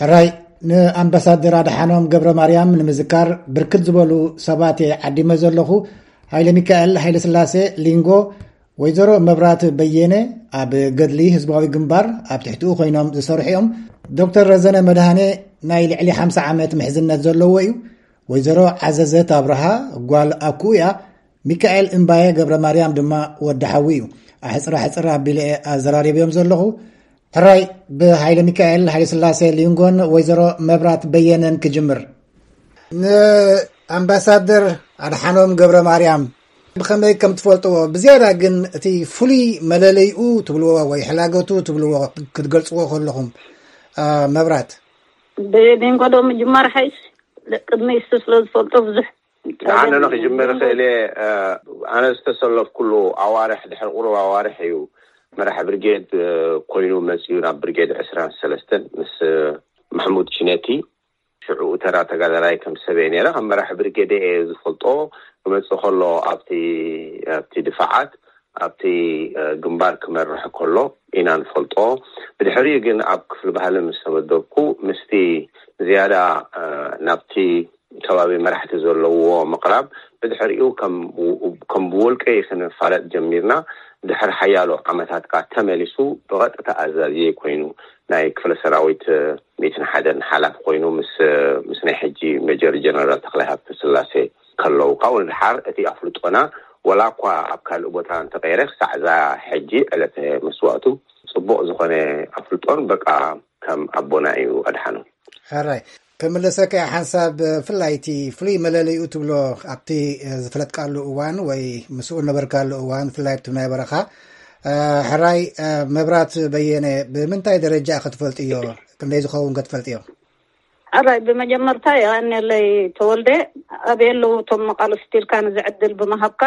ሕራይ፣ ንኣምባሳደር ኣድሓኖም ገብረ ማርያም ንምዝካር ብርክት ዝበሉ ሰባት እየ ዓዲመ ዘለኹ። ሃይለ ሚካኤል ሃይለ ስላሴ ሊንጎ፣ ወይዘሮ መብራት በየነ፣ ኣብ ገድሊ ህዝባዊ ግንባር ኣብ ትሕቲኡ ኮይኖም ዝሰርሑ እዮም። ዶክተር ረዘነ መድሃኔ ናይ ልዕሊ ሓምሳ ዓመት ምሕዝነት ዘለዎ እዩ። ወይዘሮ ዓዘዘት ኣብርሃ ጓል ኣኩኡ እያ። ሚካኤል እምባየ ገብረ ማርያም ድማ ወዲ ሓዊ እዩ። ኣሕፅራ ሕፅር ኣቢለ እየ ኣዘራሪብዮም ዘለኹ። ሕራይ፣ ብሃይለ ሚካኤል ሃይለ ስላሴ ሊንጎን ወይዘሮ መብራት በየነን ክጅምር። ንኣምባሳደር ኣድሓኖም ገብረ ማርያም ብኸመይ ከም ትፈልጥዎ፣ ብዝያዳ ግን እቲ ፍሉይ መለለይኡ ትብልዎ ወይ ሕላገቱ ትብልዎ ክትገልጽዎ ከለኹም፣ አ፣ መብራት? ብሊንጎ ዶ ምጅማር ሓይሽ? ቅድሚ እሱ ስለ ዝፈልጦ ብዙሕ ንዓነ ዶ ክጅምር እኽእል እየ። እ፣ ኣነ ዝተሰለፍኩሉ ኣዋርሕ፣ ድሕሪ ቁሩብ ኣዋርሕ እዩ መራሕ ብርጌድ፣ እ፣ ኮይኑ መጺኡ ናብ ብርጌድ ዕስራን ሰለስተን ምስ፣ እ፣ ማሕሙድ ችነቲ። ሽዑ ተራ ተጋዳላይ ከም ሰብ እየ ነይረ። ከም መራሕ ብርጌድ እየ ዝፈልጦ። ክመጽእ ከሎ ኣብቲ፣ ኣብቲ ድፋዓት፣ ኣብቲ፣ እ፣ ግንባር ክመርሕ ከሎ ኢና ንፈልጦ። ብድሕሪኡ ግን ኣብ ክፍሊ ባህሊ ምስ ተመደብኩ፣ ምስቲ ዝያዳ፣ እ፣ ናብቲ ከባቢ መራሕቲ ዘለዎ ምቕራብ፣ ብድሕሪኡ ከም፣ ከም ብውልቀ ክንፋለጥ ጀሚርና። ድሕሪ ሓያሎ ዓመታት ከኣ ተመሊሱ ብቐጥታ ኣዛዚ ኮይኑ ናይ ክፍለ ሰራዊት ሚእትን ሓደን ሓላፊ ኮይኑ ምስ፣ ምስ ናይ ሕጂ ሜጀር ጀነራል ተኽላይ ሃብተ ስላሴ ከለዉ። ካብኡ ንድሓር እቲ ኣፍልጦና ወላ እኳ ኣብ ካልእ ቦታ እንተቐይረ፣ ክሳዕ እዛ ሕጂ ዕለተ መስዋእቱ ጽቡቕ ዝኾነ ኣፍልጦን በቃ ከም ኣቦና እዩ ኣድሓኖም። ሕራይ፣ ክምልሰካ እየ ሓንሳብ፣ ብፍላይ እቲ ፍሉይ መለለይኡ ትብሎ ኣብቲ፣ እ፣ ዝፈለጥካሉ እዋን ወይ ምስኡ ነበርካሉ እዋን፣ ብፍላይ ኣብቲ ናይ በረኻ፣ እ፣ ሕራይ፣ እ፣ መብራት በየነ ብምንታይ ደረጃ ክትፈልጥዮ? ክንደይ ዝኸውን ክትፈልጥዮ? ሕራይ፣ ብመጀመርታ የቐንየለይ ተወልደ፣ ኣበይ ኣለዉ እቶም መቓልስቲ ኢልካ ነዚ ዕድል ብምሃብካ።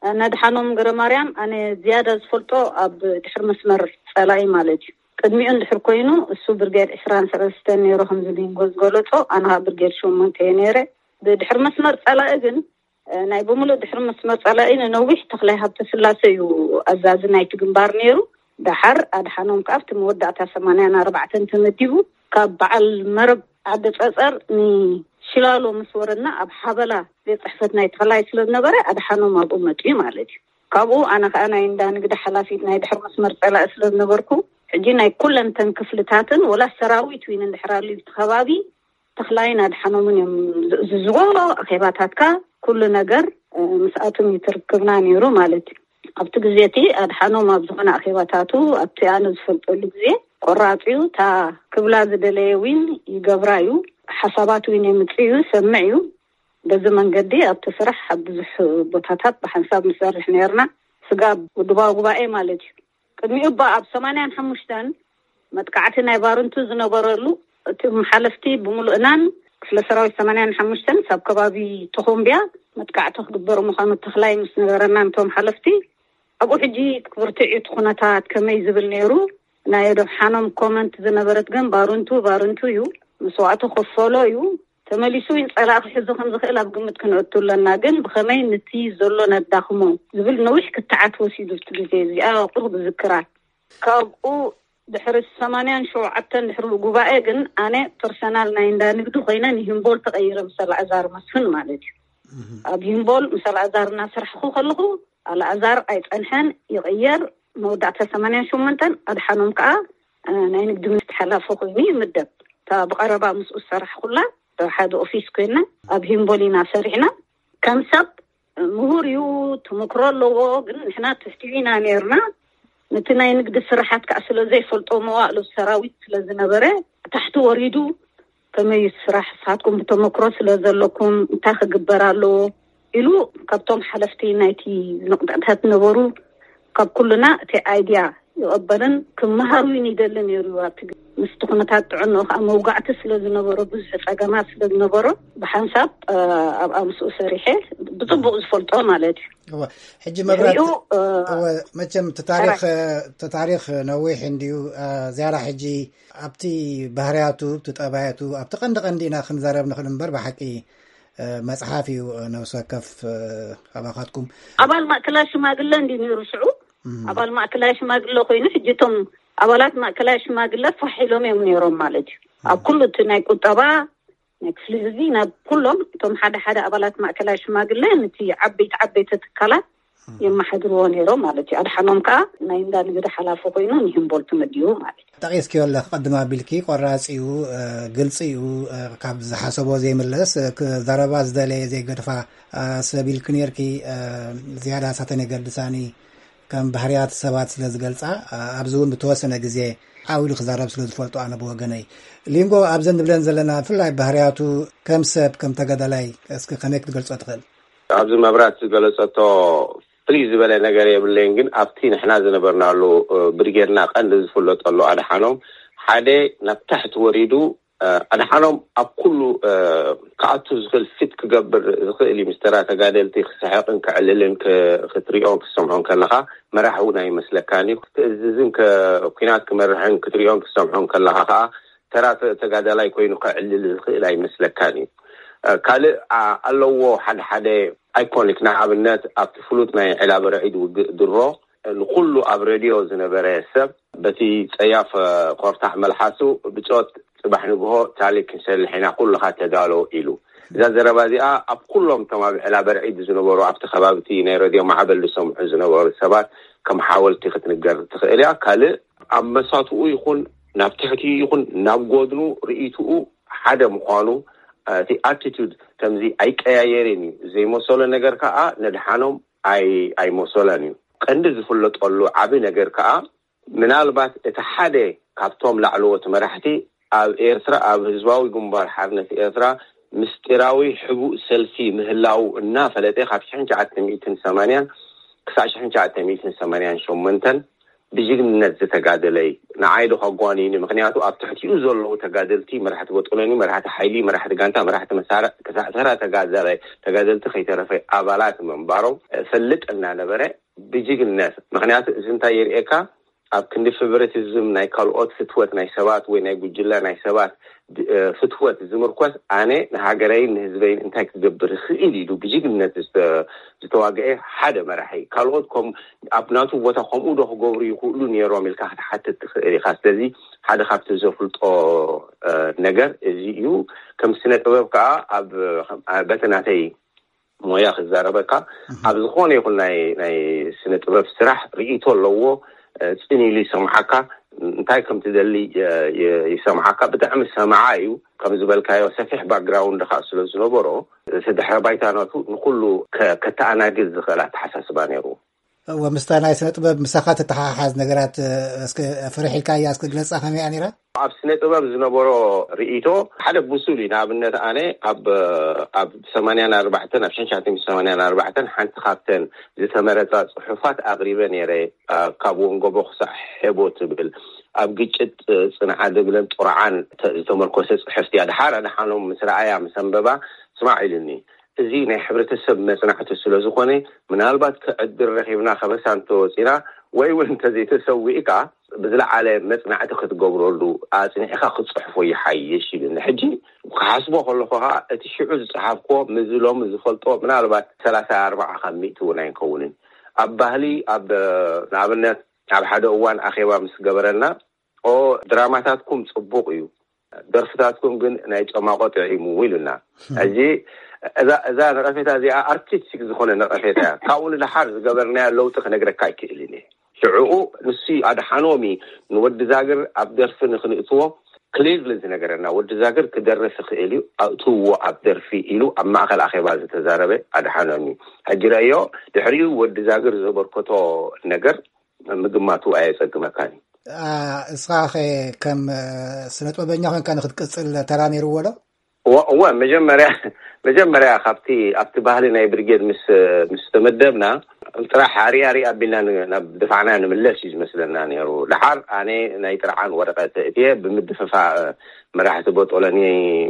ነድሓኖም ገረማርያም ኣነ ዝያዳ ዝፈልጦ ኣብ ድሕሪ መስመር ጸላኢ ማለት እዩ። ቅድሚኡ እንድሕር ኮይኑ እሱ ብርጌድ ዕስራን ሰለስተን ነይሩ፣ ከምዚ ሊንጎ ዝገለጾ፣ ኣነ ኸኣ ብርጌድ ሸሞንተ እየ ነይረ። ብድሕሪ መስመር ጸላኢ ግን፣ እ፣ ናይ ብምሉእ ድሕሪ መስመር ጸላኢ ንነዊሕ ተኽላይ ሃብተ ስላሴ እዩ ኣዛዚ ናይቲ ግንባር ነይሩ። ደሓር ኣድሓኖም ከኣ ኣብቲ መወዳእታ ሰማንያን ኣርባዕተን ተመዲቡ፣ ካብ በዓል መረብ ዓዲ ጸጸር ንሽላሎ ምስ ወረድና ኣብ ሓበላ ቤት ጽሕፈት ናይ ተኽላይ ስለ ዝነበረ ኣድሓኖም ኣብኡ መጺኡ ማለት እዩ። ካብኡ ኣነ ከኣ ናይ እንዳ ንግዲ ሓላፊት ናይ ድሕሪ መስመር ጸላኢ ስለ ዝነበርኩ፣ ሕጂ ናይ ኩለን ተን ክፍልታትን ወላ ሰራዊት እውን እንድሕር ኣልዩ እቲ ከባቢ ተኽላይን ኣድሓኖምን እዮም ዝእዝዝዎ። ኣኼባታትካ ኩሉ ነገር፣ እ፣ ምስኣቶም እዩ ትርክብና ነይሩ ማለት እዩ። ኣብቲ ግዜ እቲ ኣድሓኖም ኣብ ዝኾነ ኣኼባታቱ ኣብቲ ኣነ ዝፈልጠሉ ግዜ ቆራጽ እዩ። እታ ክብላ ዝደለየ እውን ይገብራ እዩ። ሓሳባት እውን የምጽእ እዩ፣ ይሰምዕ እዩ። በዚ መንገዲ ኣብቲ ስራሕ ኣብ ብዙሕ ቦታታት ብሓንሳብ ንሰርሕ ነይርና። ስጋብ ውድባዊ ጉባኤ ማለት እዩ። ቅድሚኡ እባ ኣብ ሰማንያን ሓሙሽተን መጥቃዕቲ ናይ ባርንቱ ዝነበረሉ፣ እቲ ሓለፍቲ ብምሉእናን ክፍለ ሰራዊት ሰማንያን ሓሙሽተን ሳብ ከባቢ ተኾምቢያ መጥቃዕቲ ክግበር ምዃኑ ተኽላይ ምስ ነገረና፣ ነቶም ሓለፍቲ ኣብኡ ሕጂ ክብርትዕ እዩ እቲ ኩነታት ከመይ ዝብል ነይሩ። ናይ ኣድሓኖም ኮመንት ዝነበረት ግን ባርንቱ ባርንቱ እዩ፣ መስዋእቱ ከፈሎ እዩ። ተመሊሱ እውን ጸላኢ ክሕዞ ከም ዝኽእል ኣብ ግምት ክንእቱ ኣለና። ግን ብኸመይ ነቲ ዘሎ ነዳኽሞ ዝብል ነዊሕ ክትዓት ወሲዱ ኣብቲ ግዜ እዚኣ ቁሩብ ዝዝክራ። ካብኡ ድሕሪ ሰማንያን ሸውዓተን ድሕሪ ጉባኤ ግን ኣነ ፐርሰናል ናይ እንዳ ንግዲ ኮይነ ንሂምቦል ተቐይረ ምስ ኣልኣዛር መስፍን ማለት እዩ። ኣብ ሂምቦል ምስ ኣልኣዛር እናሰራሕኩ ከለኹ ኣልኣዛር ኣይጸንሐን፣ ይቕየር። መወዳእታ ሰማንያን ሸሞንተን ኣድሓኖም ከኣ፣ እ፣ ናይ ንግዲ ሚኒስትሪ ሓላፊ ኮይኑ ይምደብ። እታ ብቐረባ ምስኡ ዝሰራሕኩላ ሓደ ኦፊስ ኮይና ኣብ ሂምቦል ኢና ሰሪሕና። ከም ሰብ ምሁር እዩ፣ ተመክሮ ኣለዎ። ግን ንሕና ትሕቲኡ ኢና ነይርና። ነቲ ናይ ንግዲ ስራሓት ከዓ ስለ ዘይፈልጦ፣ መዋእሉ ሰራዊት ስለ ዝነበረ፣ ታሕቲ ወሪዱ ከመይ እዩ ስራሕ፣ ንስኻትኩም ብተመክሮ ስለ ዘለኩም እንታይ ክግበር ኣለዎ ኢሉ ካብቶም ሓለፍቲ ናይቲ ንቕንጥዕታት ነበሩ፣ ካብ ኩልና እቲ ኣይድያ ይቐበልን ክመሃር እውን ይደሊ ነይሩ። ኣብቲ ግዜ ምስቲ ኩነታት ጥዕንኡ ከዓ መውጋዕቲ ስለ ዝነበሮ፣ ብዙሕ ጸገማት ስለ ዝነበሮ፣ ብሓንሳብ፣ እ፣ ኣብኣ ምስኡ ሰሪሐ ብጽቡቕ ዝፈልጦ ማለት እዩ። እወ፣ ሕጂ መብራት፣ ድሕሪኡ፣ እ፣ እወ፣ መቸም እቲ ታሪኽ፣ ሕራይ። እቲ ታሪኽ ነዊሕ እንድዩ። እ፣ ዝያዳ ሕጂ ኣብቲ ባህርያቱ፣ ኣብቲ ጠባያቱ፣ ኣብቲ ቀንዲ ቀንዲ ኢና ክንዛረብ ንኽእል እምበር፣ ብሓቂ፣ እ፣ መጽሓፍ እዩ፣ እ፣ ነብሲ ወከፍ፣ እ፣ ኣባኻትኩም። ኣባል ማእከላይ ሽማግለ እንድዩ ነይሩ ሽዑ። እም። ኣባል ማእከላይ ሽማግለ ኮይኑ፣ ሕጂ እቶም ኣባላት ማእከላይ ሽማግለ ፋሕ ኢሎም እዮም ነይሮም ማለት እዩ። ኣብ ኩሉ እቲ ናይ ቁጠባ ናይ ክፍሊ ህዝቢ ናብ ኩሎም እቶም ሓደ ሓደ ኣባላት ማእከላይ ሽማግለ፣ ነቲ ዓበይቲ ዓበይቲ ትካላት የመሓድርዎ ነይሮም ማለት እዩ። ኣድሓኖም ከዓ ናይ እንዳ ንግዲ ሓላፊ ኮይኑ ንሂምቦልት መዲቡ ማለት እዩ። ጠቒስክዮ ኣለኺ ቅድም ኣቢልኪ፣ ቆራፅ እዩ፣ ግልፂ እዩ፣ ካብ ዝሓሰቦ ዘይምለስ፣ ክዛረባ ዝደለየ ዘይገድፋ ሰብ ኢልኪ ነይርኪ። ዝያዳ ሳተን የገድሳኒ ከም ባህርያት ሰባት ስለ ዝገልፃ፣ ኣብዚ እውን ብተወሰነ ግዜ ዓው ኢሉ ክዛረብ ስለ ዝፈልጦ ኣነ ብወገነይ። ሊንጎ፣ ኣብዘን ንብለን ዘለና ብፍላይ ባህርያቱ ከም ሰብ ከም ተጋዳላይ እስኪ ከመይ ክትገልፆ ትኽእል? ኣብዚ መብራት ዝገለጸቶ ፍልይ ዝበለ ነገር የብለይን፣ ግን ኣብቲ ንሕና ዝነበርናሉ ብርጌድና ቀንዲ ዝፍለጠሉ ኣድሓኖም ሓደ ናብ ታሕቲ ወሪዱ፣ ኣድሓኖም ኣብ ኩሉ ክኣቱ ዝኽእል ፊት ክገብር ዝኽእል እዩ። ምስ ተራ ተጋደልቲ ክስሕቕን ክዕልልን ክትሪኦን ክትሰምዖን ከለኻ መራሒ እውን ኣይመስለካን እዩ። ክትእዝዝን ኩናት ክመርሕን ክትሪኦን ክትሰምዖን ከለኻ ከዓ ተራ ተጋዳላይ ኮይኑ ክዕልል ዝኽእል ኣይመስለካን እዩ። ካልእ ኣለዎ ሓደ ሓደ ኣይኮኒክ፣ ንኣብነት ኣብቲ ፍሉጥ ናይ ዕላበ ርዒድ ውግእ ድሮ ንኩሉ ኣብ ሬድዮ ዝነበረ ሰብ በቲ ጸያፍ ኮርታሕ መልሓሱ ብጾት ጽባሕ ንግሆ ታሊክ ክንሰልሕ ኢና ኩልኻ ተዳሎ ኢሉ። እዛ ዘረባ እዚኣ ኣብ ኩሎም እቶም ኣብ ዕላበ ርዒድ ዝነበሩ ኣብቲ ከባቢ እቲ ናይ ሬድዮ ማዕበል ዝሰምዑ ዝነበሩ ሰባት ከም ሓወልቲ ክትንገር ትኽእል እያ። ካልእ ኣብ መሳትኡ ይኹን ናብ ትሕቲኡ ይኹን ናብ ጎድኑ ርእይትኡ ሓደ ምዃኑ፣ እቲ ኣቲቱድ ከምዚ ኣይቀያየርን እዩ። ዘይመሰሎ ነገር ከዓ ነድሓኖም ኣይመሰሎን እዩ። ቀንዲ ዝፍለጠሉ ዓቢ ነገር ከዓ ምናልባት እቲ ሓደ ካብቶም ላዕለዎት መራሕቲ ኣብ ኤርትራ ኣብ ህዝባዊ ግንባር ሓርነት ኤርትራ ምስጢራዊ ሕቡእ ሰልፊ ምህላው እናፈለጠ ካብ ሽሕን ትሽዓተ ሚእትን ሰማንያን ክሳዕ ሽሕን ትሽዓተ ሚእትን ሰማንያን ሸሞንተን ብጅግንነት ዝተጋደለ እዩ። ንዓይ ዶ ከጓንዩኒ? ምክንያቱ ኣብ ትሕቲኡ ዘለዉ ተጋደልቲ መራሕቲ ቦጦሎኒ፣ መራሕቲ ሓይሊ፣ መራሕቲ ጋንታ፣ መራሕቲ መሳርዕ ክሳዕ ተራ ተጋዳላይ ተጋደልቲ ከይተረፈ ኣባላት ምንባሮም እፈልጥ እናነበረ ብጅግንነት። ምክንያቱ እዚ እንታይ የርእየካ? ኣብ ክንዲ ፌቨሪቲዝም ናይ ካልኦት ፍትወት ናይ ሰባት ወይ ናይ ጉጅለ ናይ ሰባት ፍትወት ዝምርኮስ ኣነ ንሃገረይን ንህዝበይን እንታይ ክገብር ይኽእል ኢሉ ብጅግንነት ዝተዋግዐ ሓደ መራሒ። ካልኦት ኣብ ናቱ ቦታ ከምኡ ዶ ክገብሩ ይኽእሉ ነይሮም ኢልካ ክትሓትት ትኽእል ኢኻ። ስለዚ ሓደ ካብቲ ዘፍልጦ ነገር እዚ እዩ። ከም ስነ ጥበብ ከዓ ኣብ በቲ ናተይ ሞያ ክዛረበካ፣ ኣብ ዝኾነ ይኹን ናይ ናይ ስነ ጥበብ ስራሕ ርእይቶ ኣለዎ። ጽን ኢሉ ይሰምዓካ፣ እንታይ ከም ትደሊ ይሰምዓካ። ብጣዕሚ ሰማዓ እዩ። ከም ዝበልካዮ ሰፊሕ ባክግራውንድ ከዓ ስለ ዝነበሮ፣ እቲ ድሕረ ባይታነቱ ንኩሉ ከተኣናግድ ዝኽእል ኣተሓሳስባ ነይሩ። እወ፣ ምስታ ናይ ስነ ጥበብ ምሳኻ ተተሓሓዝ ነገራት እስከ ፍርሕ ኢልካያ እስከ ግለጻ፣ ከመይ እያ ነይራ? ኣብ ስነ ጥበብ ዝነበሮ ርእይቶ ሓደ ብሱል እዩ። ንኣብነት ኣነ ኣብ ኣብ ሰማንያን ኣርባዕተን ኣብ ሽሕን ትሽዓተ ሚእትን ሰማንያን ኣርባዕተን ሓንቲ ካብተን ዝተመረጻ ጽሑፋት ኣቕሪበ ነይረ። ካብ ወንጎቦ ክሳዕ ሄቦ ትብል ኣብ ግጭት ጽንዓ ድብለን ጥርዓን ዝተመርኮሰ ጽሕፍቲ እያ። ድሓር ኣድሓኖም ምስ ረኣያ ምስ ኣንበባ ስማዕ ኢሉኒ። እዚ ናይ ሕብረተሰብ መጽናዕቲ ስለ ዝኾነ ምናልባት ከዕድል ረኺብና ከበሳ እንተወጺና ወይ እውን እንተዘይተሰዊእካ ብዝለዓለ መጽናዕቲ ክትገብረሉ ኣጽኒዕካ ክትጽሕፎ ይሓይሽ ኢሉኒ። ሕጂ ክሓስቦ ከለኹ ከዓ እቲ ሽዑ ዝጸሓፍክዎ ምስዚ ሎሚ ዝፈልጦ ምናልባት ሰላሳ ኣርባዓ ካብ ሚእቲ እውን ኣይንከውንን። ኣብ ባህሊ ኣብ ንኣብነት ኣብ ሓደ እዋን ኣኼባ ምስ ገበረና ኦ ድራማታትኩም ጽቡቕ እዩ፣ ደርፍታትኩም ግን ናይ ጨማቆ ጥዒሙ ኢሉና። ሕጂ እዛ እዛ ነቐፌታ እዚኣ ኣርቲስቲክ ዝኾነ ነቐፌታ እያ። ካብኡ ንደሓር ዝገበርናዮ ለውጢ ክነግረካ ኣይክእልን እየ። ሽዕኡ ንሱ ኣድሓኖሚ ንወዲ ዛግር ኣብ ደርፊ ንክንእትዎ ክሊርሊ ዝነገረና፣ ወዲ ዛግር ክደርፍ ይኽእል እዩ፣ ኣእትውዎ ኣብ ደርፊ ኢሉ ኣብ ማእከል ኣኼባ ዝተዛረበ ኣድሓኖሚ። ሕጂ ረእዮ፣ ድሕሪኡ ወዲ ዛግር ዘበርከቶ ነገር ምግማቱ ኣየጸግመካን እዩ። እስኻ ኸ ከም ስነ ጥበበኛ ኮንካ ንክትቅጽል ተራ ነይርዎ ዶ? እወ፣ መጀመርያ መጀመርያ ካብቲ ኣብቲ ባህሊ ናይ ብርጌድ ምስ ምስ ተመደብና ጥራሕ ኣሪኣ ሪኣ ኣቢልና ናብ ድፋዕና ንምለስ እዩ ዝመስለና ነይሩ። ድሓር ኣነ ናይ ጥርዓን ወረቐት እትየ ብምድፍፋእ መራሕቲ ቦጦለኒ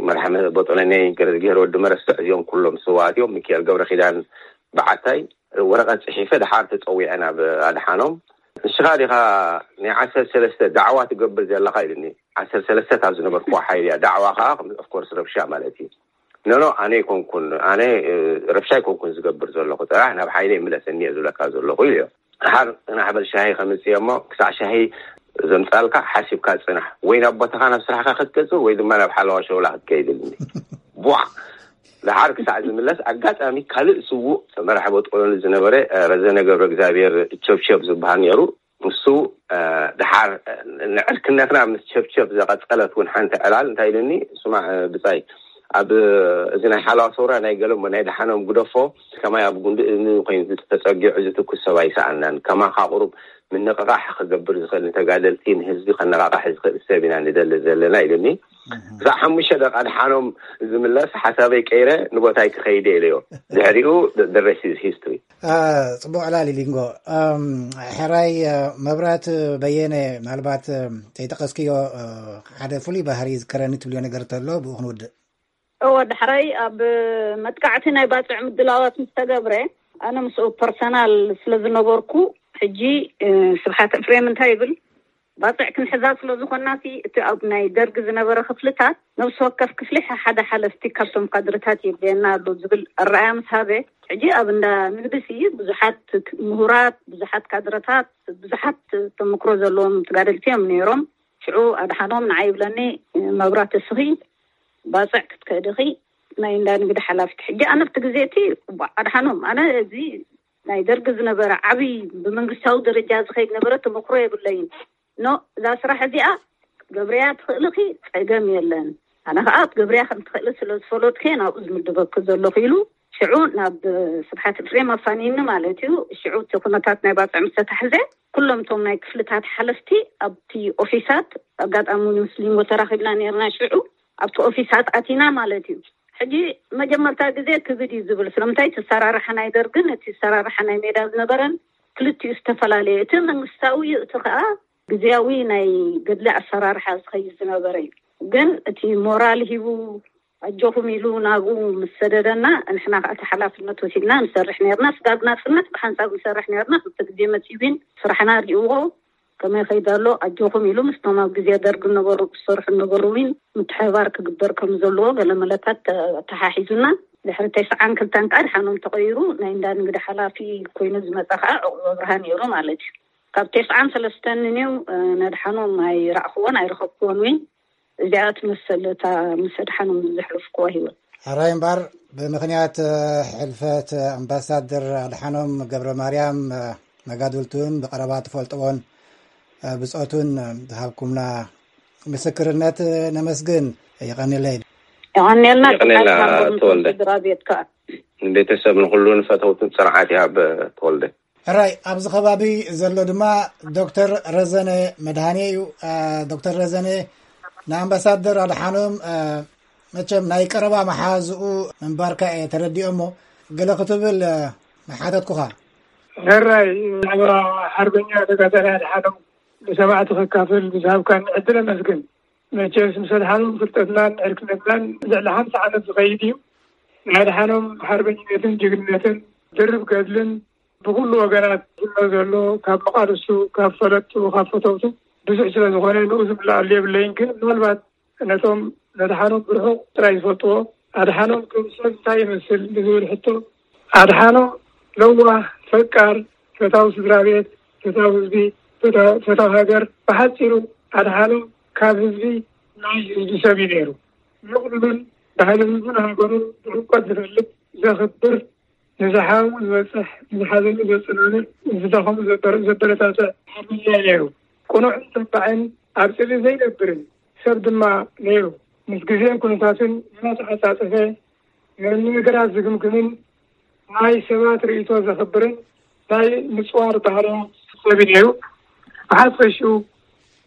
መራሒ ቦጦለኒ ገረዝግሄር ወዲ መረስዕ እዚኦም ኩሎም ስዋት እዮም። ሚካኤል ገብረ ኪዳን በዓታይ ወረቐት ጽሒፈ ድሓር ተጸዊዐ ናብ ኣድሓኖም። ንስኻ ዲኻ ናይ ዓሰርተ ሰለስተ ዳዕዋ ትገብር ዘለኻ ኢሉኒ። ዓሰርተ ሰለስተ ካብ ዝነበርኩዎ ሓይሊ እያ። ዳዕዋ ከዓ ኦፍኮርስ ረብሻ ማለት እዩ። ኖኖ ኣነ ኣይኮንኩን ኣነ ረብሻ ኣይኮንኩን ዝገብር ዘለኹ፣ ጥራሕ ናብ ሓይለ ይምለሰኒ እየ ዝብለካ ዘለኹ ኢሉ። ድሓር ናሕበል ሻሂ ከምፅእ እሞ ክሳዕ ሻሂ ዘምጻልካ ሓሲብካ ጽናሕ። ወይ ናብ ቦታኻ ናብ ስራሕካ ክትገጽር ወይ ድማ ናብ ሓለዋ ሸውላ ክትከይድ ኢሉኒ። ቧዕ! ደሓር ክሳዕ ዝምለስ ኣጋጣሚ ካልእ ስዉእ መራሒ ቦጥቆሎኒ ዝነበረ፣ እ፣ ረዘነ ገብረ እግዚኣብሔር ቸብቸብ ዝበሃል ነይሩ። ንሱ፣ እ፣ ደሓር፣ እ፣ ንዕርክነትና ምስ ቸብቸብ ዘቐጸለት እውን ሓንቲ ዕላል እንታይ ኢሉኒ፣ ስማዕ፣ እ፣ ብጻይ፣ ኣብ፣ እ፣ እዚ ናይ ሓለዋ ሰውራ ናይ ገለ እሞ ናይ ደሓኖም ግደፎ፣ ከማይ ኣብ ጉንዲ እዝኒ ኮይኑ ተጸጊዑ ዝትኩስ ሰብ ኣይሰኣናን። ከማኻ ቁሩብ ምንቕቓሕ ክገብር ዝኽእል፣ ንተጋደልቲ፣ ንህዝቢ ከነቓቕሕ ዝኽእል ሰብ ኢና ንደሊ ዘለና ኢሉኒ። ክሳዕ ሓሙሽተ ደቂቃ ደሓኖም ዝምለስ ሓሳበይ ቀይረ ንቦታይ ክኸይድ ኢለዮ። ድሕሪኡ the rest is history። አ፣ ጽቡቕ ዕላል ሊንጎ። ኣም፣ ሕራይ፣ አ፣ መብራት በየነ፣ ምናልባት፣ አ፣ ዘይጠቀስክዮ፣ አ፣ ሓደ ፍሉይ ባህሪ ይዝከረኒ ትብልዮ ነገር ተሎ ብኡ ክንውድእ። እወ፣ ዳሕራይ ኣብ መጥቃዕቲ ናይ ባጽዕ ምድላዋት ምስ ተገብረ፣ ኣነ ምስኡ ፐርሰናል ስለ ዝነበርኩ፣ ሕጂ፣ እ፣ ስብሓት ኤፍሬም እንታይ ይብል? ባጽዕ ክንሕዛ ስለ ዝኾንና ሲ፣ እቲ ኣብ ናይ ደርግ ዝነበረ ክፍልታት፣ ነብሲ ወከፍ ክፍሊ ሓደ ሓለፍቲ ካብቶም ካድርታት የድልየና ኣሎ ዝብል ኣረኣያ ምስ ሃበ፣ ሕጂ ኣብ እንዳ ንግዲ ሲ፣ ብዙሓት ምሁራት፣ ብዙሓት ካድረታት፣ ብዙሓት ተመክሮ ዘለዎም ተጋደልቲ እዮም ነይሮም። ሽዑ ኣድሓኖም ንዓይ ይብለኒ፣ "መብራት እስኺ ባጽዕ ክትከዲ ኢኺ፣ ናይ እንዳ ንግዲ ሓላፊት." ሕጂ ኣነ ኣብቲ ግዜ እቲ፣ "እባ ኣድሓኖም፣ ኣነ እዚ ናይ ደርጊ ዝነበረ ዓብዪ ብመንግስታዊ ደረጃ ዝኸይድ ነበረ ተመክሮ የብለይን። ኖ፣ እዛ ስራሕ እዚኣ ክትገብርያ ትኽእሊ ኢኺ፣ ጸገም የለን። ኣነ ኸኣ ክትገብርያ ከም ትኽእሊ ስለ ዝፈለጥኩ እየ ናብኡ ዝምድበኪ ዘለኹ" ኢሉ ሽዑ ናብ ስብሓት ኤፍሬም ኣፋንዩኒ ማለት እዩ። ሽዑ እቲ ኩነታት ናይ ባጽዕ ምስ ተታሕዘ፣ ኩሎም እቶም ናይ ክፍልታት ሓለፍቲ ኣብቲ ኦፊሳት፣ ኣጋጣሚ እውን ምስ ሊንጎ ተራኺብና ነይርና ሽዑ፣ ኣብቲ ኦፊሳት ኣቲና ማለት እዩ። ሕጂ መጀመርታ ግዜ ክብድ እዩ ዝብል። ስለምንታይ እቲ ኣሰራርሓ ናይ ደርግን እቲ ኣሰራርሓ ናይ ሜዳ ዝነበረን ክልቲኡ ዝተፈላለየ። እቲ መንግስታዊ እዩ፣ እቲ ኸኣ ግዝያዊ ናይ ገድሊ ኣሰራርሓ ዝኸይድ ዝነበረ እዩ። ግን እቲ ሞራል ሂቡ ኣጆኹም ኢሉ ናብኡ ምስ ሰደደና፣ ንሕና ኸኣ እቲ ሓላፍነት ወሲድና ንሰርሕ ነርና። ስጋብ ናጽነት ብሓንሳብ ንሰርሕ ነርና። ክልተ ግዜ መጺኡ ግን ስራሕና ሪእዎ፣ ከመይ ከይድ ኣሎ ኣጆኹም ኢሉ ምስቶም ኣብ ግዜ ደርግ ነበሩ፣ ዝሰርሑ ነበሩ እውን ምትሕብባር ክግበር ከም ዘለዎ ገለ መለታት ተ-፣ ተሓሒዙና። ድሕሪ ተስዓን ክልተን ከኣ ድሓኖም ተቐይሩ፣ ናይ እንዳ ንግዲ ሓላፊ ኮይኑ ዝመጸ ከኣ ዕቑብ ኣብርሃ ነይሩ ማለት እዩ። ካብ ተስዓን ሰለስተን ንኔው፣ እ፣ ነድሓኖም ኣይረኣኽዎን ኣይረኸብክዎን እውን። እዚኣ ትመስል እታ ምስ ኣድሓኖም ዘሕለፍክዋ ህይወት። ሕራይ እምበኣር፣ ብምኽንያት፣ እ፣ ሕልፈት ኣምባሳደር ኣድሓኖም ገብረ ማርያም፣ እ፣ መጋድልቱን ብቐረባ ትፈልጥዎን፣ እ፣ ብጾቱን፣ እ፣ ዝሃብኩምና ምስክርነት፣ እ፣ ነመስግን። የቐንየለይ። የቐንየልና። የቐንየልና፣ ስብሓት ሃቦም ተወልደ። ስድራ ቤት ከኣ። ንቤተሰብ ንኹሉ ንፈተውትን ጽንዓት ይሃብ፣ ተወልደ። ሕራይ፣ ኣብዚ ከባቢ ዘሎ ድማ ዶክተር ረዘነ መድሃኔ እዩ። እ፣ ዶክተር ረዘነ ንኣምባሳደር ኣድሓኖም፣ እ፣ መቸም ናይ ቀረባ መሓዝኡ ምንባርካ እየ ተረዲኦ እሞ፣ ገለ ክትብል፣ እ፣ ምሓተትኩኻ። ሕራይ፣ ብዛዕባ ሓርበኛ ተጋዳላይ ኣድሓኖም ንሰማዕቲ ከካፍል ብዝሃብካኒ ዕድል ኣመስግን። መቸስ ምስ ኣድሓኖም ፍልጠትናን ዕርክነትናን ልዕሊ ሓምሳ ዓመት ዝኸይድ እዩ። ናይ ኣድሓኖም ሓርበኝነትን ጅግንነትን ድርብ ገድልን ብኹሉ ወገናት ዝፍኖ ዘሎ፣ ካብ መቓልስቱ፣ ካብ ፈለጥቱ፣ ካብ ፈተውቱ ብዙሕ ስለ ዝኾነ ንኡ ዝምልኣሉ የብለይን። ግን ምናልባት ነቶም ነድሓኖም ብርሑቕ ጥራይ ዝፈልጥዎ፣ ኣድሓኖም ከም ሰብ እንታይ ይመስል ንዝብል ሕቶ፣ ኣድሓኖም ለዋህ፣ ፈቃር፣ ፈታዊ ስድራ ቤት፣ ፈታዊ ህዝቢ፣ ፈታ-፣ ፈታዊ ሃገር፣ ብሓጺሩ ኣድሓኖም ካብ ህዝቢ ናይ ህዝቢ ሰብ እዩ ነይሩ። ምቕሉልን ባህሊ ህዝቡን ሃገሩን ብዕምቆት ዝፈልጥ፣ ዘኽብር፣ ንዝሓመሙ ዝበጽሕ፣ ንዝሓዘኑ ዘጽናንዕ፣ ንዝደኸሙ ዘበር-፣ ዘበረታትዕ ሓርበኛ እዩ ነይሩ። ቅኑዕን ተባዕን ኣብ ጽልኢ ዘይነብርን ሰብ ድማ ነይሩ። ምስ ግዜን ኩነታትን እናተዓጻጸፈ ንነገራት ዝግምግምን ናይ ሰባት ርእይቶ ዘኽብርን ናይ ምጽዋር ባህርያት ሰብ እዩ ነይሩ። ብሓፈሽኡ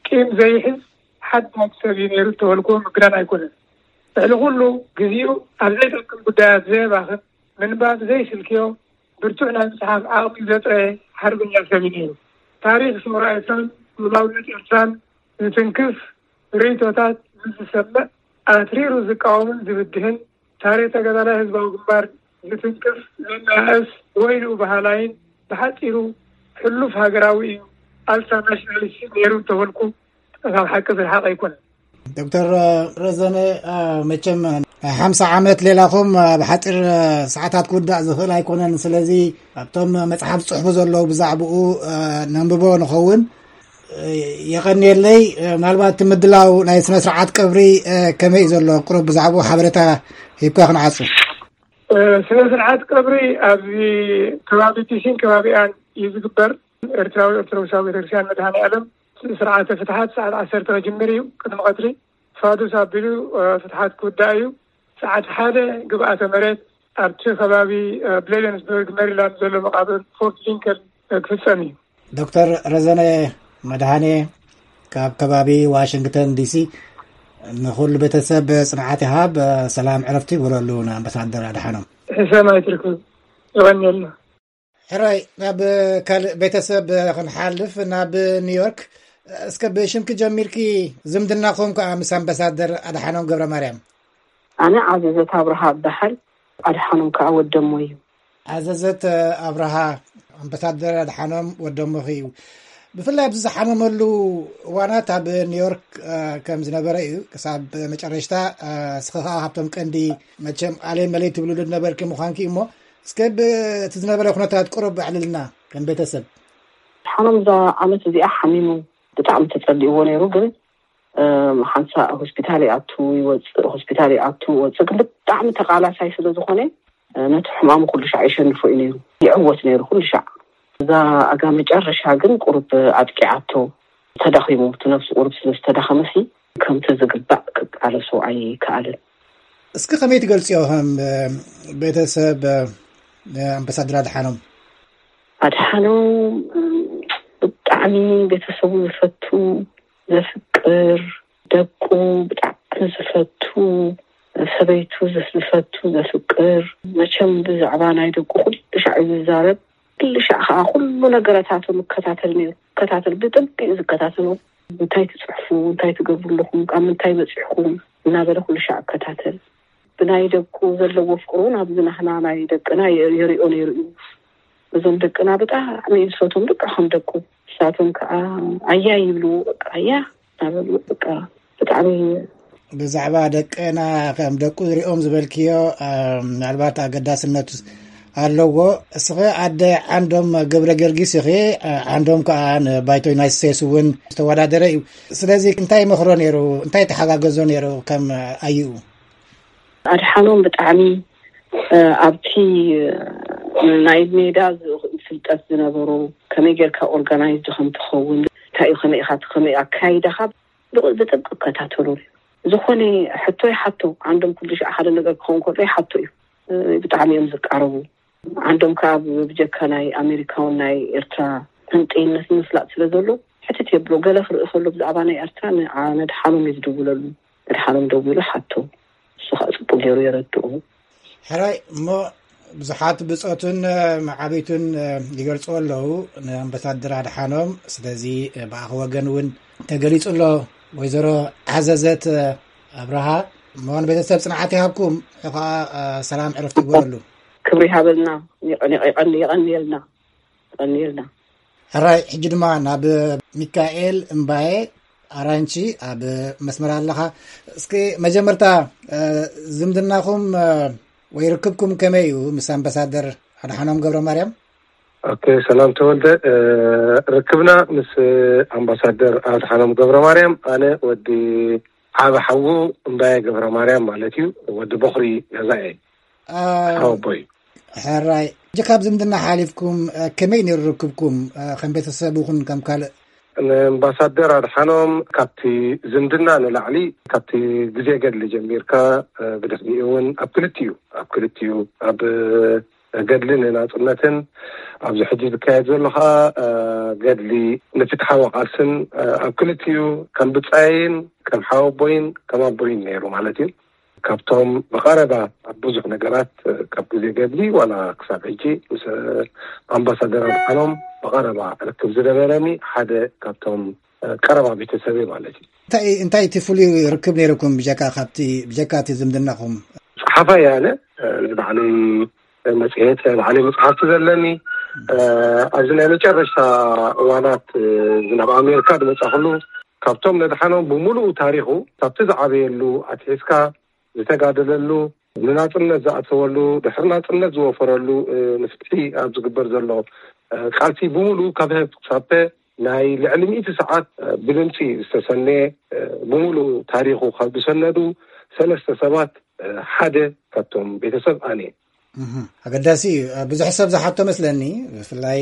ቂም ዘይሕዝ ሓዳግ ሰብ እዩ ነይሩ እንተበልኩዎ ምግናን ኣይኮነን። ልዕሊ ኩሉ ግዜኡ ኣብ ዘይጠቅም ጉዳያት ዘየባኽን፣ ምንባብ ዘይስልክዮ፣ ብርቱዕ ናይ ምጽሓፍ ዓቕሚ ዘጥረየ ሓርበኛ ሰብ እዩ ነይሩ። ታሪኽ ሰውራ ኤርትራን ልኡላውነት ኤርትራን ዝትንክፍ ርእይቶታት ምስ ዝሰምዕ ኣትሪሩ ዝቃወምን ዝብድህን፣ ታሪኽ ተጋዳላይ ህዝባዊ ግንባር ዝትንክፍ ዘነኣእስ ወይልኡ በሃላይን ብሓጺሩ ሕሉፍ ሃገራዊ እዩ፣ ኣልትራ ናሽናሊስት ነይሩ እንተበልኩ ካብ ሓቂ ዝረሓቐ ኣይኮነን። ዶክተር ረዘነ፣ አ፣ መቸም ናይ ሓምሳ ዓመት ሌላኹም፣ አ፣ ብሓፂር፣ አ፣ ሰዓታት ክውዳእ ዝኽእል ኣይኮነን። ስለዚ ኣብቶም መፅሓፍ ዝፅሕፉ ዘለዉ ብዛዕባኡ፣ አ፣ ነንብቦ ንኸውን። የቐንየለይ። ምናልባት እቲ ምድላው ናይ ስነ ስርዓት ቀብሪ ከመይ እዩ ዘሎ? ቅሩብ ብዛዕባኡ ሓበሬታ ሂብካ ክንዓጹ። ስነ ስርዓት ቀብሪ ኣብዚ ከባቢ ቲሲን ከባቢኣን እዩ ዝግበር። ኤርትራዊ ኦርቶዶክሳዊ ቤተክርስትያን መድሃኔ ዓለም ስርዓተ ፍትሓት ሰዓት ዓሰርተ ክጅምር እዩ። ቅድሚ ቀትሪ ፋዱስ ኣቢሉ ፍትሓት ክውዳእ እዩ። ሰዓት ሓደ ግብኣተ መሬት ኣብቲ ከባቢ ብሌደንስበርግ ሜሪላንድ ዘሎ መቃብር ፎርት ሊንከን ክፍጸም እዩ። ዶክተር ረዘነ መድሃኔ ካብ ከባቢ ዋሽንግተን ዲሲ፣ ንኹሉ ቤተሰብ ጽንዓት ይሃብ። ሰላም ዕረፍቲ ይግበረሉ ንኣምባሳደር ኣድሓኖም። ሕሰም ኣይትርክብ። ይቐንየልና። ሕራይ፣ ናብ ካልእ ቤተሰብ ክንሓልፍ፣ ናብ ኒውዮርክ። እስከ ብሽምኪ ጀሚርኪ፣ ዝምድናኹም ከኣ ምስ ኣምባሳደር ኣድሓኖም ገብረ ማርያም። ኣነ ዓዘዘት ኣብርሃ እበሃል። ኣድሓኖም ከኣ ወደሞ እዩ። ኣዘዘት ኣብርሃ፣ ኣምባሳደር ኣድሓኖም ወደሞኺ እዩ። ብፍላይ ኣብዚ ዝሓመመሉ እዋናት ኣብ ኒውዮርክ ከም ዝነበረ እዩ። ክሳብ መጨረሽታ እስኺ ከኣ ካብቶም ቀንዲ፣ መቸም፣ ኣለይ መለይ ትብልሉ ዝነበርኪ ምዃንኪ እሞ፣ እስከ ብእቲ ዝነበረ ኩነታት ቁሩብ ኣዕልልና ከም ቤተሰብ። ሓኖም እዛ ዓመት እዚኣ ሓሚሙ ብጣዕሚ ተጸሊእዎ ነይሩ። ግን ሓንሳእ ሆስፒታል ይኣቱ ይወፅእ፣ ሆስፒታል ይኣቱ ይወፅእ። ግን ብጣዕሚ ተቓላሳይ ስለ ዝኾነ ነቲ ሕማሙ ኩሉ ሻዕ ይሸንፎ እዩ ነይሩ፣ ይዕወት ነይሩ ኩሉ ሻዕ። እዛ ኣጋ መጨረሻ ግን ቁሩብ ኣጥቂዓቶ፣ ተዳኺሙ፣ እቲ ነብሱ ቁሩብ ስለ ዝተዳኸመሲ ከምቲ ዝግባእ ክቃለሶ ኣይከኣለን። እስኪ ከመይ ትገልፅዮ ከም ቤተሰብ ኣምባሳደር ኣድሓኖም? ኣድሓኖም ብጣዕሚ ቤተሰቡ ዝፈቱ፣ ዘፍቅር፣ ደቁ ብጣዕሚ ዝፈቱ፣ ሰበይቱ ዝፈቱ፣ ዘፍቅር፣ መቸም ብዛዕባ ናይ ደቁ ኩሉ ሻዕ እዩ ዝዛረብ። ኩሉ ሻዕ ከዓ ኩሉ ነገረታቶም ይከታተል ነይሩ። ይከታተል፣ ብጥብቂ እዩ ዝከታተሎ። እንታይ ትፅሕፉ፣ እንታይ ትገብሩ ኣለኹም፣ ካብ ምንታይ በፂሕኩም እናበለ ኩሉ ሻዕ ይከታተል። ብናይ ደቁ ዘለዎ ፍቅሪ እውን ኣብዚ ናህና ናይ ደቅና የሪኦ ነይሩ እዩ። እዞም ደቅና ብጣዕሚ እዩ ዝፈትዎም፣ ልክዕ ከም ደቁ። ንሳቶም ከዓ ኣያ ይብልዎ፣ በቃ ኣያ እናበሉ፣ በቃ ብጣዕሚ። ብዛዕባ ደቅና ከም ደቁ ዝሪኦም ዝበልክዮ ምናልባት ኣገዳስነት ኣለዎ። እስኺ ኣደ ዓንዶም ገብረ ጊዮርጊስ ኢኺ። ዓንዶም ከዓ ንባይቶ ዩናይትድ ስቴትስ እውን ዝተወዳደረ እዩ። ስለዚ እንታይ ይመኽሮ ነይሩ? እንታይ ተሓጋገዞ ነይሩ ከም ኣዩ? ኣድሓኖም ብጣዕሚ ኣብቲ ናይ ሜዳ ፍልጠት ዝነበሮ፣ ከመይ ጌርካ ኦርጋናይዝድ ከም ትኸውን፣ እንታይ እዩ፣ ከመይ ኢኻ፣ ከመይ ኣካይዳኻ ብጥብቂ እከታተሎ። ዝኾነ ሕቶ ይሓቶ፣ ዓንዶም ኩሉ ሻዕ ሓደ ነገር ክኸውን ከሎ ይሓቶ እዩ። ብጣዕሚ እዮም ዝቃረቡ። ዓንዶም ከዓ ብጀካ ናይ ኣሜሪካውን ናይ ኤርትራ መንጠይነት ንምፍላጥ ስለ ዘሎ ሕትት የብሎ። ገለ ክርኢ ከሎ ብዛዕባ ናይ ኤርትራ ንድሓኖም እዩ ዝድውለሉ። ንድሓኖም ደዊሉ ሓቶ፣ እሱ ከዓ ፅቡቅ ገይሩ የረድኡ። ሕራይ እሞ ብዙሓት ብፆቱን መዓቢቱን ይገልፅዎ ኣለዉ ንኣምባሳደር ኣድሓኖም። ስለዚ ብኣኺ ወገን እውን ተገሊፁ ኣሎ። ወይዘሮ ዓዘዘት ኣብርሃ እሞ ንቤተሰብ ፅንዓት ይሃብኩም። ንዑ ከዓ ሰላም ዕረፍቲ ይግበረሉ። ክብሪ ይሃበልና። የቐንየልና። የቐንየልና። ሕራይ ሕጂ ድማ ናብ ሚካኤል እምባየ ኣራንቺ ኣብ መስመር ኣለኻ። እስኪ መጀመርታ ዝምድናኹም ወይ ርክብኩም ከመይ እዩ ምስ ኣምባሳደር ኣድሓኖም ገብረ ማርያም? ኦኬ፣ ሰላም ተወልደ። ርክብና ምስ ኣምባሳደር ኣድሓኖም ገብረ ማርያም፣ ኣነ ወዲ ዓቢ ሓዉ እምባየ ገብረ ማርያም ማለት እዩ። ወዲ በኹሪ ገዛ እየ። ሓወቦይ። ሕራይ፣ ሕጂ ካብ ዝምድና ሓሊፍኩም ከመይ ነይሩ ርክብኩም ከም ቤተሰብ ይኹን ከም ካልእ? ንኣምባሳደር ኣድሓኖም ካብቲ ዝምድና ንላዕሊ፣ ካብቲ ግዜ ገድሊ ጀሚርካ፣ ብድሕሪኡ እውን ኣብ ክልቲኡ ኣብ ክልቲኡ ኣብ ገድሊ ንናፅነትን ኣብዚ ሕጂ ዝካየድ ዘሎ ከዓ ገድሊ ንፍትሓዊ ቃልስን ኣብ ክልቲኡ ከም ብፃየይን ከም ሓወቦይን ከም ኣቦይን ነይሩ ማለት እዩ። ካብቶም ብቐረባ ኣብ ብዙሕ ነገራት ካብ ግዜ ገድሊ ዋላ ክሳብ ሕጂ ምስ ኣምባሳደር ኣድሓኖም ብቐረባ ርክብ ዝነበረኒ ሓደ ካብቶም ቀረባ ቤተሰብ ማለት እዩ። እንታይ እንታይ እቲ ፍሉይ ርክብ ነይርኩም ብጀካ ካብቲ ብጀካ እቲ ዝምድናኹም? ጸሓፋይ እየ ኣነ። ናይ ባዕለይ መጽሔት፣ ናይ ባዕለይ መጽሓፍቲ ዘለኒ። ኣብዚ ናይ መጨረሽታ እዋናት ናብ ኣሜሪካ ዝመጻኹሉ ካብቶም ነድሓኖም ብምሉኡ ታሪኹ ካብቲ ዝዓበየሉ ኣትሒዝካ ዝተጋደለሉ ንናጽነት ዝኣተወሉ ድሕሪ ናጽነት ዝወፈረሉ ንፍትሒ ኣብ ዝግበር ዘሎ ቃልሲ ብምሉኡ ካብ ህብ ክሳብ ናይ ልዕሊ ሚእቲ ሰዓት ብድምፂ ዝተሰነየ፣ ብምሉእ ታሪኹ ካብ ዝሰነዱ ሰለስተ ሰባት ሓደ ካብቶም ቤተሰብ ኣነ። ኣገዳሲ እዩ። ብዙሕ ሰብ ዝሓቶ መስለኒ፣ ብፍላይ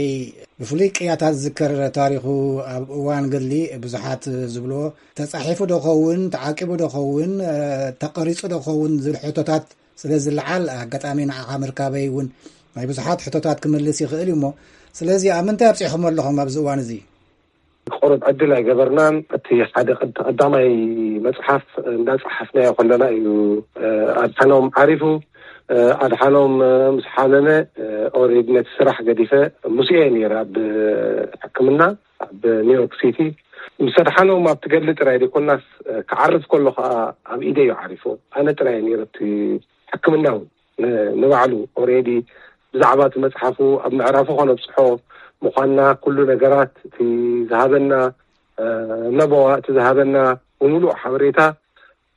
ብፍሉይ ቅያታት ዝዝከር ታሪኹ ኣብ እዋን ገድሊ ብዙሓት ዝብልዎ፣ ተፃሒፉ ዶ ኸውን፣ ተዓቂቡ ዶ ኸውን፣ ተቐሪፁ ዶ ኸውን ዝብል ሕቶታት ስለ ዝለዓል፣ ኣጋጣሚ ንዓኻ ምርካበይ እውን ናይ ብዙሓት ሕቶታት ክምልስ ይኽእል እዩ። እሞ ስለዚ ኣብ ምንታይ ኣብፂሕኹም ኣለኹም ኣብዚ እዋን እዚ? ቁሩብ ዕድል ኣይገበርናን። እቲ ሓደ ቀዳማይ መፅሓፍ እንዳፀሓፍናዮ ከለና እዩ ኣድሓኖም ዓሪፉ። ኣድሓኖም ምስ ሓመመ ኦሬዲ ነቲ ስራሕ ገዲፈ ምስኡ እየ ነይረ ኣብ ሕክምና ኣብ ኒውዮርክ ሲቲ። ምስ ኣድሓኖም ኣብቲ ገድሊ ጥራይ ዘይኮናስ ክዓርፍ ከሎ ከዓ ኣብ ኢደ እዩ ዓሪፉ። ኣነ ጥራይ እየ ነይረ እቲ ሕክምና እውን ንባዕሉ ኦሬዲ ብዛዕባ እቲ መፅሓፉ ኣብ ምዕራፉ ከነብፅሖ ምዃንና ኩሉ ነገራት እቲ ዝሃበና ለበዋ እቲ ዝሃበና ብምሉእ ሓበሬታ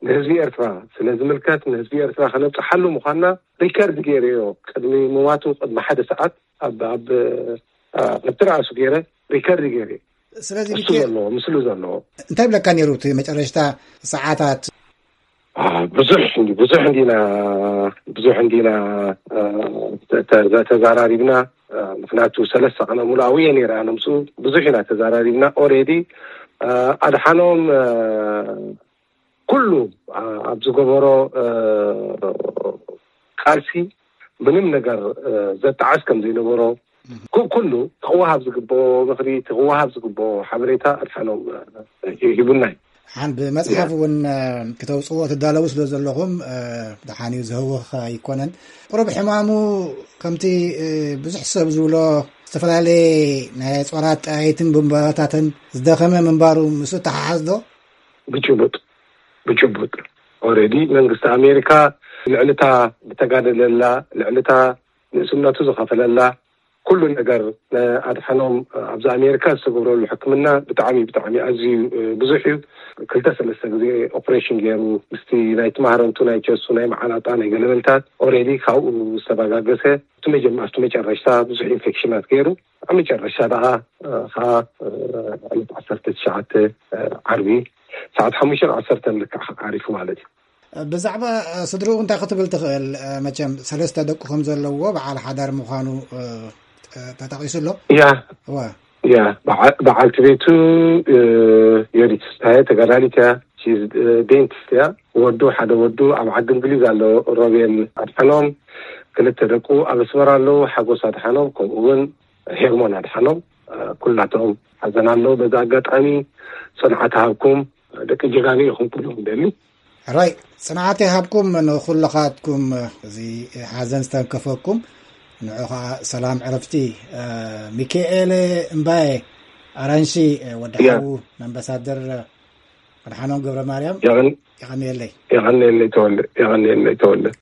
ንህዝቢ ኤርትራ ስለ ዝምልከት ንህዝቢ ኤርትራ ከነብፅሓሉ ምዃንና ሪከርድ ገይረዮ ቅድሚ ምማቱ ቅድሚ ሓደ ሰዓት ኣብ ኣብ ኣብቲ ርኣሱ ገይረ ሪከርድ ገይረ። ስለዚ እሱ ሚካኤል ዘለዎ ምስሉ ዘለዎ እንታይ ብለካ ነይሩ እቲ መጨረሽታ ሰዓታት? ብዙሕ ብዙሕ እንዲና ብዙሕ እንዲና ተዛራሪብና። ምክንያቱ ሰለስተ ቀነ ሙሉኣዊ እየ ነይረ ኣነ ምስኡ ብዙሕ ኢና ተዛራሪብና። ኦሬዲ ኣድሓኖም ኩሉ ኣብ ዝገበሮ ቃልሲ ምንም ነገር ዘጣዓስ ከም ዘይነበሮ ኩሉ ክወሃብ ዝግብኦ ምክሪ እቲ ክወሃብ ዝግብኦ ሓበሬታ ኣድሓኖም ሂቡና እዩ። ሓን ብመፅሓፍ እውን ክተውፅዎ ትዳለዉ ስለ ዘለኹም ድሓን እዩ ዝህውኽ ኣይኮነን። ቁሩብ ሕማሙ ከምቲ ብዙሕ ሰብ ዝብሎ ዝተፈላለየ ናይ ፆራት ጠያይትን ብንባታትን ዝደኸመ ምንባሩ ምስ ተሓሓዝ ዶ? ብጭቡጥ ብጭቡጥ ኦሬዲ መንግስቲ ኣሜሪካ ልዕልታ ብተጋደለላ ልዕልታ ንእስነቱ ዝኸፈለላ ኩሉ ነገር ኣድሓኖም ኣብዚ ኣሜሪካ ዝተገብረሉ ሕክምና ብጣዕሚ ብጣዕሚ ኣዝዩ ብዙሕ እዩ። ክልተ ሰለስተ ግዜ ኦፕሬሽን ገይሩ ምስቲ ናይ ትማህረምቱ ናይ ቸሱ ናይ መዓናጣ ናይ ገለበልታት ኦሬዲ ካብኡ ዝተበጋገሰ ኣብቲ መጀመ ኣብቲ መጨረሽታ ብዙሕ ኢንፌክሽናት ገይሩ ኣብ መጨረሽታ ደኣ ከዓ ዕለት ዓሰርተ ትሽዓተ ዓርቢ ሰዓት ሓሙሽተ ዓሰርተ ልክዕ ዓሪፉ ማለት እዩ። ብዛዕባ ስድርኡ እንታይ ክትብል ትኽእል? መቸም ሰለስተ ደቁ ከም ዘለዎ በዓል ሓዳር ምዃኑ ተጠቒሱ ኣሎ። ያ ዋ ያ በዓልቲ ቤቱ ዮዲት ስታየ ተጋዳሊት እያ። ዴንቲስት እያ። ወዱ ሓደ ወዱ ኣብ ዓዲ እንግሊዝ ኣሎ። ሮቤል ኣድሓኖም ክልተ ደቁ ኣብ ኣስመራ ኣለዉ። ሓጎስ ኣድሓኖም ከምኡ እውን ሄርሞን ኣድሓኖም ኩላቶም ሓዘን ኣለዉ። በዚ ኣጋጣሚ ፅንዓት ሃብኩም ደቂ ጀጋኑ ኢኹም ክብሎም ደሊ። ሕራይ ፅንዓት ይሃብኩም ንኩልኻትኩም እዚ ሓዘን ዝተንከፈኩም። ንዑ ከዓ ሰላም ዕረፍቲ። ሚካኤል እምባየ ኣራንሺ ወዲ ሓዉ ኣምባሳደር ኣድሓኖም ገብረ ማርያም የቐንየለይ። የቐንየለይ ተወለ። የቐንየለይ ተወለ።